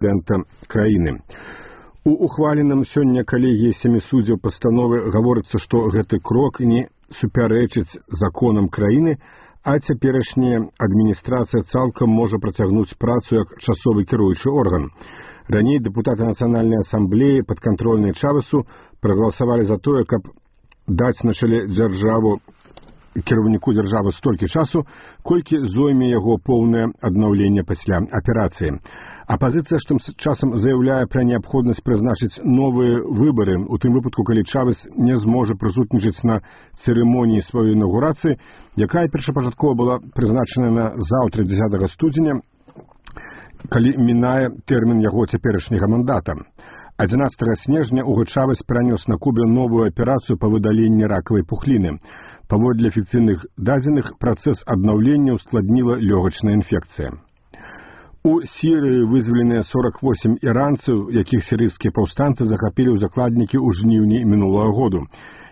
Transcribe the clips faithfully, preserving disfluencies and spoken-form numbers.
прэзідэнта краіны. У ухваленым сёння калегіяй сямі суддзяў пастановы гаворыцца, што гэты крок не супярэчыць законам краіны, а цяперашняя адміністрацыя цалкам можа працягнуць працу як часовы кіруючы орган. Раней дэпутаты Нацыянальнай асамблеі падкантрольнай Чавесу прагаласавалі за тое, каб даць на чале дзяржаву кіраўніку дзяржавы столькі часу, колькі зойме яго поўнае аднаўленне пасля аперацыі. Апазіцыя ж тым часам заяўляе пра неабходнасць прызначыць новыя выбары, у тым выпадку, калі Чавес не зможа прысутнічаць на цырымоніі сваёй інаўгурацыі, якая першапачаткова была прызначана на заўтра дзесятага студзеня, калі мінае тэрмін яго цяперашняга мандата. адзінаццатага снежня Уго Чавес перанёс на Кубе новую аперацыю па выдаленні ракавай пухліны. Паводле афіцыйных дадзеных, працэс аднаўлення ускладніла лёгачная інфекцыя. У Сірыі вызваленыя сорок восем іранцаў, якіх сірыйскія паўстанцы захапілі ў закладнікі ў жніўні мінулага году.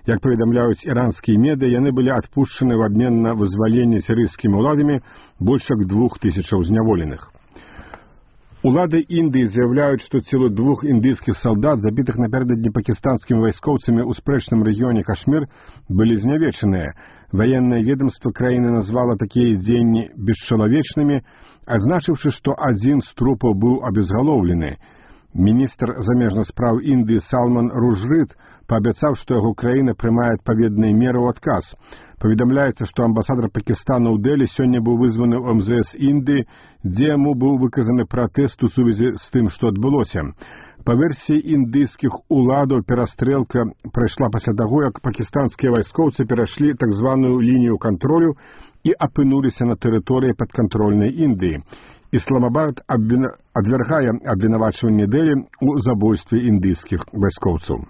Як паведамляюць іранскія медыа, яны былі адпушчаны в абмен на вызваленне сірыйскімі ўладамі больш як двух тысячаў зняволеных. Улады Індыі заяўляюць, што целы двух індыйскіх салдат, забітых напярэдадні пакістанскімі вайскоўцамі ў спрэчным рэгіёне Кашмір, былі знявечаныя. Ваеннае ведомства краіны назвала такія дзеянні бесчалавечнымі, адзначыўшы, што адзін з трупаў быў абезгалоўлены. Міністр замежных спраў Індыі Салман Ружрыд паабяцаў, што яго краіна прымае адпаведныя меры ў адказ. Паведамляецца, што амбасадар Пакістана ў Дэлі сёння быў вызваны ў эм зэ эс Індыі, дзе яму быў выказаны пратэст у сувязі з тым, што адбылося. Па версіі індыйскіх уладаў, перастрэлка прайшла пасля таго, як пакістанскія вайскоўцы перайшлі так званую лінію кантролю і апынуліся на тэрыторыі падкантрольнай Індыі. Ісламабад адвяргае абвінавачванне Дэлі ў забойстве індыйскіх вайскоўцаў.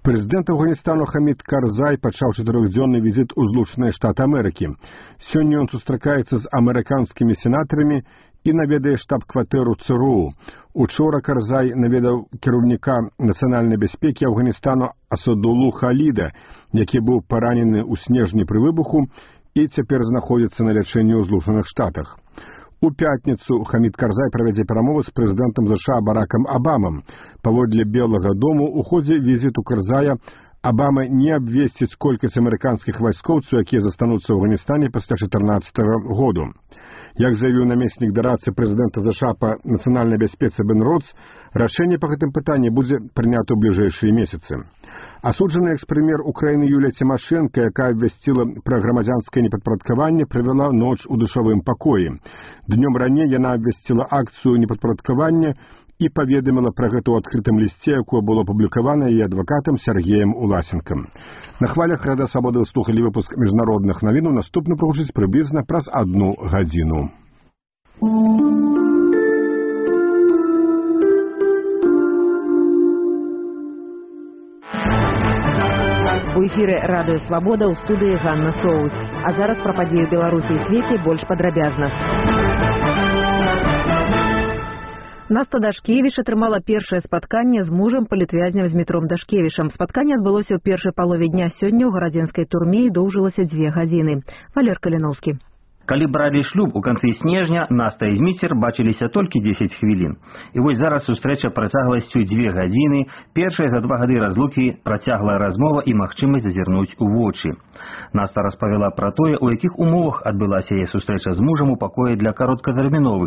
Прэзідэнт Афганістану Хамід Карзай пачаў чатырохдзённы візіт у Злучаныя Штаты Амерыкі. Сёння ён сустракаецца з амерыканскімі сенатарамі і наведае штаб-кватэру ЦРУ. Учора Карзай наведаў кіраўніка нацыянальнай бяспекі Афганістану Асадулу Халіда, які быў паранены ў снежні пры выбуху і цяпер знаходзіцца на лячэнні ў Злучаных Штатах. У пятніцу Хамід Карзай правядзе перамовы з прэзідэнтам ЗША Баракам Абамам. Паводле Белага дому, у ходзе візіту Карзая Абама не абвесціць колькасць амерыканскіх вайскоўцаў, якія застануцца ў Афганістане пасля чатырнаццатага году. Як заявіў намеснік дарадцы прэзідэнта ЗША па нацыянальнай бяспецы Бен Родс, рашэнне па гэтым пытанні будзе прынята ў бліжэйшыя месяцы. Асуджаны экс-прэм'ер Украіны Юлія Цімашэнка, якая абвясціла пра грамадзянскае непадпарадкаванне, правяла ноч у душавым пакоі. Днём раней яна абвясціла акцыю непадпарадкавання і паведаміла пра гэта ў адкрытым лісце, якое было апублікавана яе адвакатам Сергеем Уласенкам. На хвалях Рада Свабоды слухалі выпуск міжнародных навінаў, наступны прагучыць прыблізна праз адну гадзіну. У эфіры Радыё Свабода, ў студыі Ганна Соус. А зараз пра падзеі ў Беларусі і свеце больш падрабязна. Наста Дашкевіч атрымала першае спатканне з мужам палітвязня Змітром Дашкевічам. Спатканне адбылося ў першай палове дня сёння ў гарадзенскай турме і доўжылася дзве гадзіны. Валер Каліноўскі. Калі бралі шлюб у канцы снежня, Наста і Зміцер бачыліся толькі дзесяць хвілін. І вось зараз сустрэча працягласцю дзве гадзіны, першая за два гады разлукі працяглая размова і магчымасць зазірнуць у вочы. Наста распавяла пра тое, у якіх умовах адбылася яе сустрэча з мужам у пакоі для кароткатэрміновых